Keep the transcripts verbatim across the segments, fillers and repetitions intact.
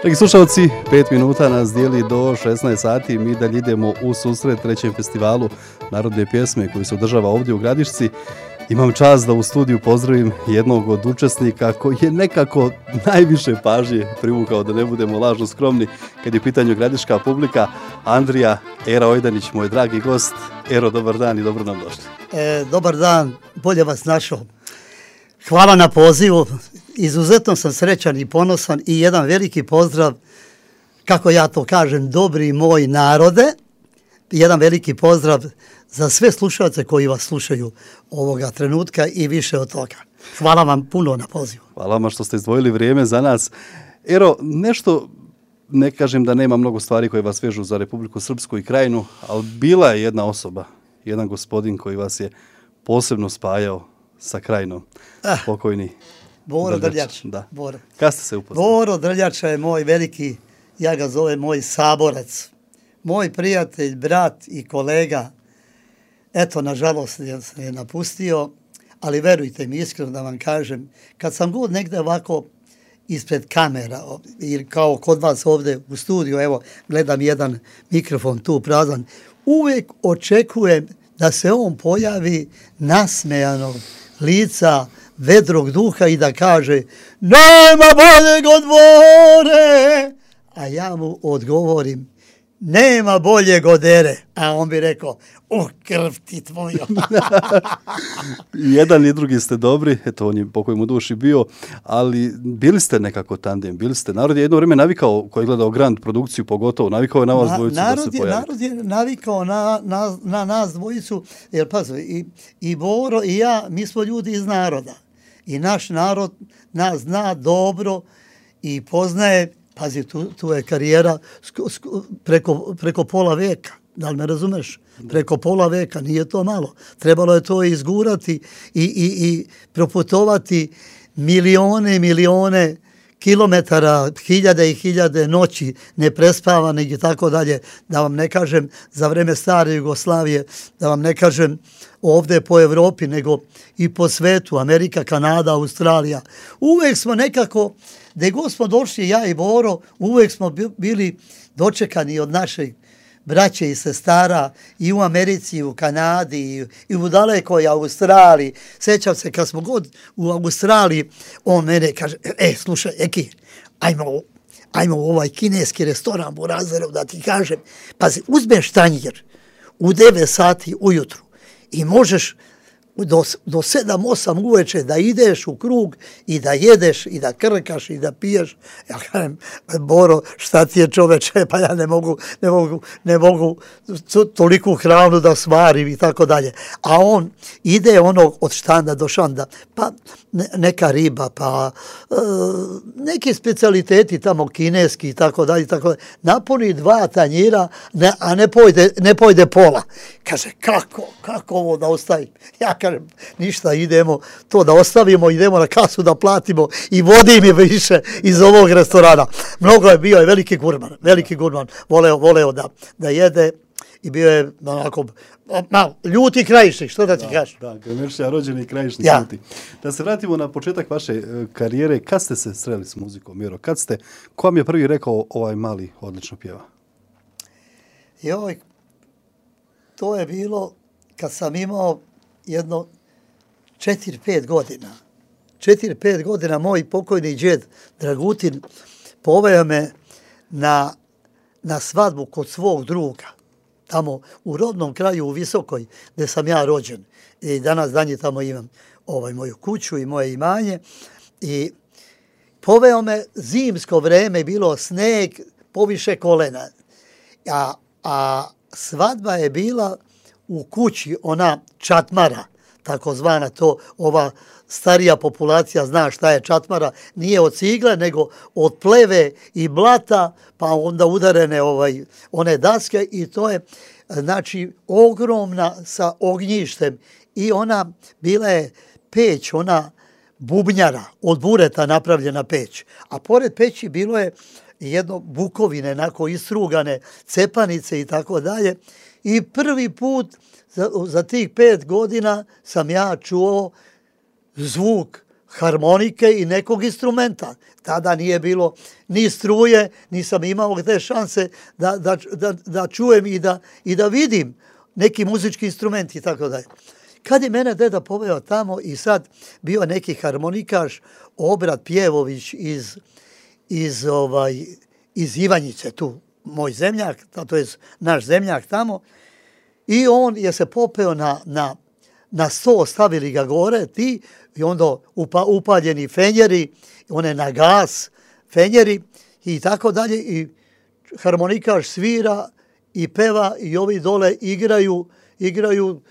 Dragi slušalci, pet minuta nas dijeli do šesnaest sati. Mi dalje idemo u susret trećem festivalu narodne pjesme koji se održava ovdje u Gradišci. Imam čast da u studiju pozdravim jednog od učesnika koji je nekako najviše pažnje privukao, da ne budemo lažno skromni, kad je u pitanju gradiška publika. Andrija Era Ojdanić, moj dragi gost. Ero, dobar dan i dobro nam došli. E, dobar dan, bolje vas našao. Hvala na pozivu. Izuzetno sam srećan i ponosan i jedan veliki pozdrav, kako ja to kažem, dobri moj narode. Jedan veliki pozdrav za sve slušalce koji vas slušaju ovoga trenutka i više od toga. Hvala vam puno na pozivu. Hvala vam što ste izdvojili vrijeme za nas. Ero, nešto, ne kažem da nema mnogo stvari koje vas vežu za Republiku Srpsku i Krajinu, ali bila je jedna osoba, jedan gospodin koji vas je posebno spajao sa Krajinom, ah, pokojni Boro Drljač. Da. Boro. Kad ste se upoznali? Boro Drljača je moj veliki, ja ga zovem moj saborac, moj prijatelj, brat i kolega. Eto, nažalost, je se je napustio, ali verujte mi, iskreno da vam kažem, kad sam god negde ovako ispred kamera, ili kao kod vas ovdje u studiju, evo, gledam jedan mikrofon tu prazan, uvijek očekujem da se on pojavi nasmejanog lica, vedrog duha i da kaže nema boljeg od Bore, a ja mu odgovorim nema boljeg od Ere, a on bi rekao o krv ti tvoja. Jedan i drugi ste dobri, eto on je po kojemu duši bio, ali bili ste nekako tandem, bili ste, narod je jedno vrijeme navikao, koji je gledao Grand produkciju pogotovo, navikao je na vas dvojicu da se pojavite. Narod je navikao na, na, na nas dvojicu, jer pazi, i, i Boro i ja, mi smo ljudi iz naroda i naš narod nas zna dobro i poznaje. Pazi, tu, tu je karijera sk, sk, preko, preko pola veka, da li me razumeš? Preko pola veka, nije to malo. Trebalo je to izgurati i, i, i proputovati milione i milione kilometara, hiljade i hiljade noći neprespavanih i tako dalje, da vam ne kažem za vreme stare Jugoslavije, da vam ne kažem ovdje po Evropi, nego i po svetu, Amerika, Kanada, Australija. Uvijek smo nekako, gdje god smo došli, ja i Boro, uvijek smo bili dočekani od našeg braće i sestara i u Americi, i u Kanadi, i u dalekoj Australiji. Sjećam se kad smo god u Australiji, on mene kaže, e, slušaj, Eki, ajmo, ajmo u ovaj kineski restoran u Razredu da ti kažem, pazi, uzmeš tanjir u devet sati ujutru i možeš do, do sedam osam uveče da ideš u krug i da jedeš i da krkaš i da piješ. Ja kažem, Boro, šta ti je čoveče, pa ja ne mogu, ne mogu, ne mogu toliku hranu da svarim i tako dalje. A on ide ono od štanda do šanda, pa neka riba, pa e, neki specijaliteti tamo kineski i tako dalje, tako dalje. Napuni dva tanjira, ne, a ne pojde, ne pojde pola. Kaže, kako, kako ovo da ostavim? Ja kažem, ništa, idemo to da ostavimo, idemo na kasu da platimo i vodi mi više iz ovog restorana. Mnogo je bio, je veliki gurman, veliki gurman, voleo, voleo da, da jede i bio je onako, malo, ljuti krajišnik, što da ti kažeš? Da, Gremeršija, rođeni krajišnik, ja. Ljuti. Da se vratimo na početak vaše karijere, kad ste se sreli s muzikom, Miro? Kad ste, ko vam je prvi rekao ovaj mali odlično pjeva? Joj, to je bilo kad sam imao jedno četiri pet godina. Četiri pet godina moj pokojni džed Dragutin poveo me na, na svadbu kod svog druga. Tamo u rodnom kraju u Visokoj, gdje sam ja rođen. I danas danje tamo imam ovaj moju kuću i moje imanje. I poveo me, zimsko vreme, bilo sneg poviše kolena. A, a svadba je bila u kući, ona čatmara, takozvana to, ova starija populacija zna šta je čatmara, nije od cigle, nego od pleve i blata, pa onda udarene ovaj, one daske i to je, znači, ogromna sa ognjištem i ona bila je peć, ona bubnjara, od bureta napravljena peć, a pored peći bilo je jedno bukovine, onako istrugane cepanice i tako dalje. I prvi put za, za tih pet godina sam ja čuo zvuk harmonike i nekog instrumenta. Tada nije bilo ni struje, nisam imao te šanse da, da, da, da čujem i da, i da vidim neki muzički instrument i tako dalje. Kad je mene deda poveo tamo i sad bio neki harmonikaš, Obrat Pjevović iz, iz, ovaj, iz Ivanjice, tu moj zemljak, to je naš zemljak tamo, i on je se popeo na, na, na sto, stavili ga gore, ti, i onda upa, upaljeni fenjeri, one na gas, fenjeri i tako dalje, i harmonikaš svira i peva i ovi dole igraju, igraju,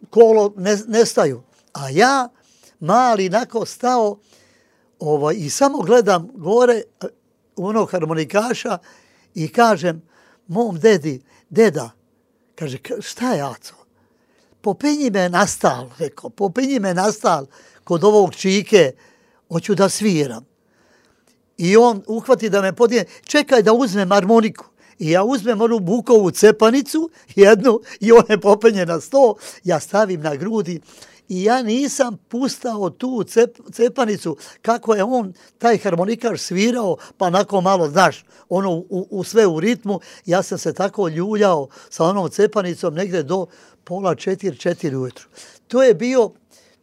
kolo ne, nestaju. A ja, mali, nako stao ovaj, i samo gledam gore onog harmonikaša i kažem mom dedi, deda, kaže, šta je, Aco? Popenji me na stal, rekao, popenji me na stal kod ovog čike, hoću da sviram. I on uhvati da me podije, čekaj da uzmem harmoniku. I ja uzmem onu bukovu cepanicu, jednu, i on je popenje na sto, ja stavim na grudi i ja nisam pustao tu cep, cepanicu kako je on, taj harmonikaš svirao, pa nakon malo, znaš, ono u, u sve u ritmu, ja sam se tako ljuljao sa onom cepanicom negde do pola četiri, četiri ujutru. To je bio,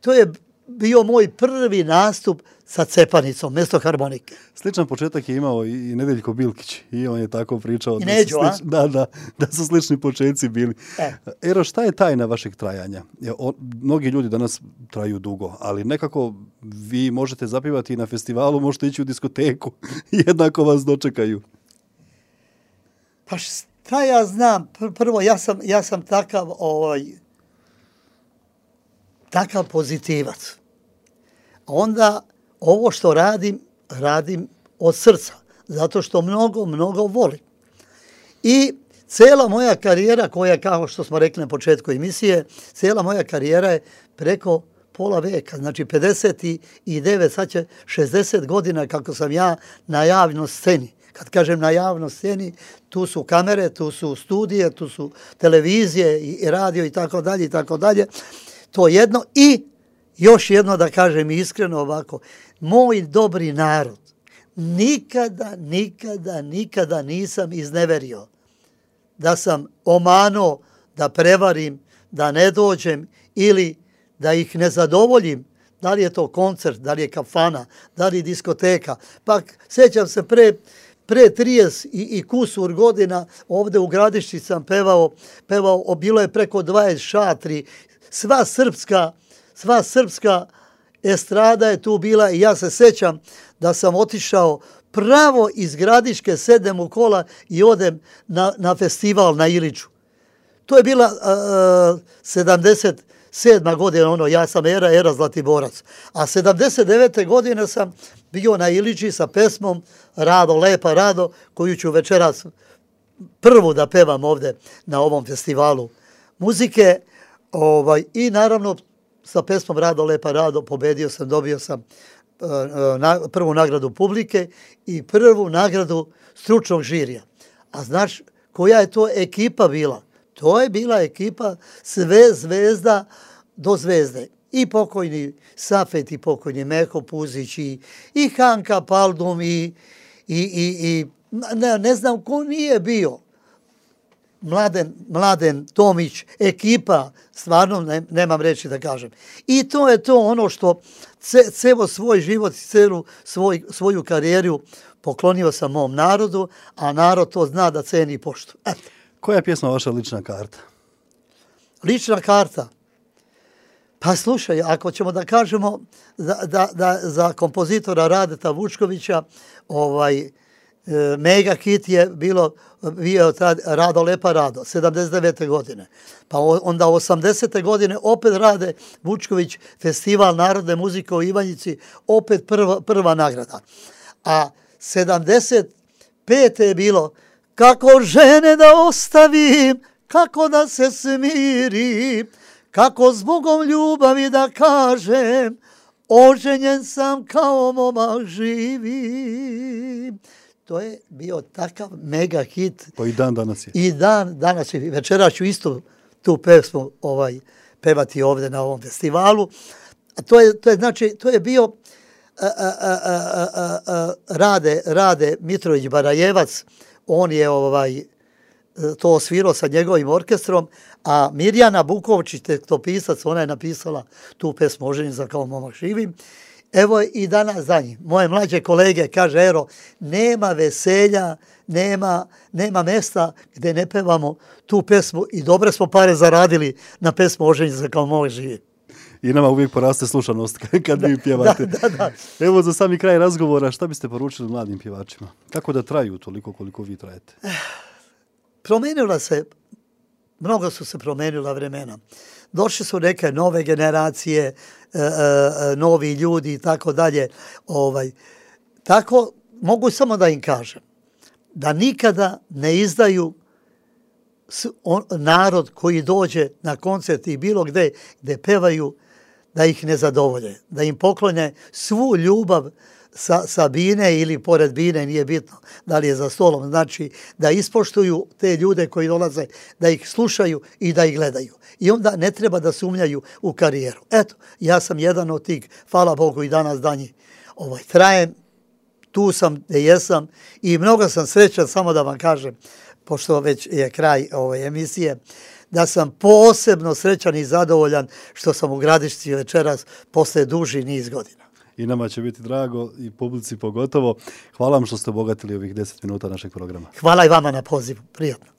to je bio moj prvi nastup sa cepanicom, mjesto harmonike. Sličan početak je imao i Nedeljko Bilkić i on je tako pričao I Neđo, da, su slič, da, da, da su slični početci bili. E. Ero, šta je tajna vašeg trajanja? O, mnogi ljudi danas traju dugo, ali nekako vi možete zapivati i na festivalu, možete ići u diskoteku i jednako vas dočekaju. Pa šta ja znam? Prvo, ja sam, ja sam takav, ovaj, takav pozitivac. Onda ovo što radim, radim od srca, zato što mnogo, mnogo volim. I cijela moja karijera, koja, kao što smo rekli na početku emisije, cijela moja karijera je preko pola veka, znači pedeset devet, sad će šezdeset godina kako sam ja na javnoj sceni. Kad kažem na javnoj sceni, tu su kamere, tu su studije, tu su televizije i radio i tako dalje i tako dalje. To jedno i još jedno da kažem iskreno ovako, moj dobri narod, nikada, nikada, nikada nisam izneverio da sam omano, da prevarim, da ne dođem ili da ih ne zadovoljim, da li je to koncert, da li je kafana, da li je diskoteka. Pa sjećam se pre, pre trideset i, i kusur godina ovdje u Gradišći sam pevao, pevao, bilo je preko dvadeset šatri, sva srpska Sva srpska estrada je tu bila i ja se sećam da sam otišao pravo iz Gradiške, sedem u kola i odem na, na festival na Iliću. To je bila uh, sedamdeset sedma godina, ono, ja sam era, era Zlatiborac. A sedamdeset devete godine sam bio na Ilići sa pesmom Rado, lepa Rado, koju ću večeras prvu da pevam ovdje na ovom festivalu muzike. Ovaj, I naravno, sa pesmom Rado, lepa Rado pobedio sam, dobio sam uh, na, prvu nagradu publike i prvu nagradu stručnog žirija. A znaš koja je to ekipa bila? To je bila ekipa sve zvezda do zvezde. I pokojni Safet i pokojni Meho Puzić i, i Hanka Paldum i, i, i, i ne, ne znam ko nije bio. Mladen, Mladen Tomić, ekipa, stvarno ne, nemam reći da kažem. I to je to ono što ce, ceo svoj život, celu svoj, svoju karijeru poklonio sam mom narodu, a narod to zna da ceni i poštu. Eto. Koja je pjesma vaša lična karta? Lična karta? Pa slušaj, ako ćemo da kažemo da, da, da za kompozitora Radeta Vučkovića, ovaj, mega hit je bilo bio tad Rado, lepa Rado, sedamdeset devete godine. Pa onda osamdesete godine opet Rade Vučković, festival narodne muzike u Ivanjici, opet prva, prva nagrada. A sedamdeset pete je bilo kako žene da ostavim, kako da se smirim, kako zbogom ljubavi da kažem, oženjen sam kao momak živim. To je bio takav mega hit. Pa i dan danas je. I dan danas je. Večera ću isto tu pesmu ovaj, pevati ovdje na ovom festivalu. A to je, to je, znači, to je bio a, a, a, a, a, a, Rade, Rade Mitrović Barajevac, on je ovaj, to osvirao sa njegovim orkestrom, a Mirjana Bukovčić, tekstopisac, ona je napisala tu pesmu Oženjen za kao momak živim. Evo i danas za njim. Moje mlađe kolege kaže, Ero, nema veselja, nema, nema mesta gdje ne pevamo tu pesmu i dobre smo pare zaradili na pesmu Oženjen za kao momak živim. I nama uvijek poraste slušanost kad vi pjevate. Da, da, da. Evo za sami kraj razgovora, šta biste poručili mladim pjevačima? Kako da traju toliko koliko vi trajete? Promenila se, mnogo su se promenila vremena. Došli su neke nove generacije, e, e, novi ljudi i tako dalje. Ovaj, tako mogu samo da im kažem da nikada ne izdaju s, on, narod koji dođe na koncert i bilo gde gde pevaju, da ih ne zadovolje, da im poklone svu ljubav sa, sa bine ili pored bine, nije bitno da li je za stolom, znači da ispoštuju te ljude koji dolaze, da ih slušaju i da ih gledaju. I onda ne treba da sumnjaju u karijeru. Eto, ja sam jedan od tih, hvala Bogu i danas danji ovaj, trajem, tu sam gdje jesam i mnogo sam srećan, samo da vam kažem, pošto već je kraj ove emisije, da sam posebno srećan i zadovoljan što sam u Gradišci večeras posle duži niz godina. I nama će biti drago i publici pogotovo. Hvala vam što ste obogatili ovih deset minuta našeg programa. Hvala i vama na pozivu. Prijatno.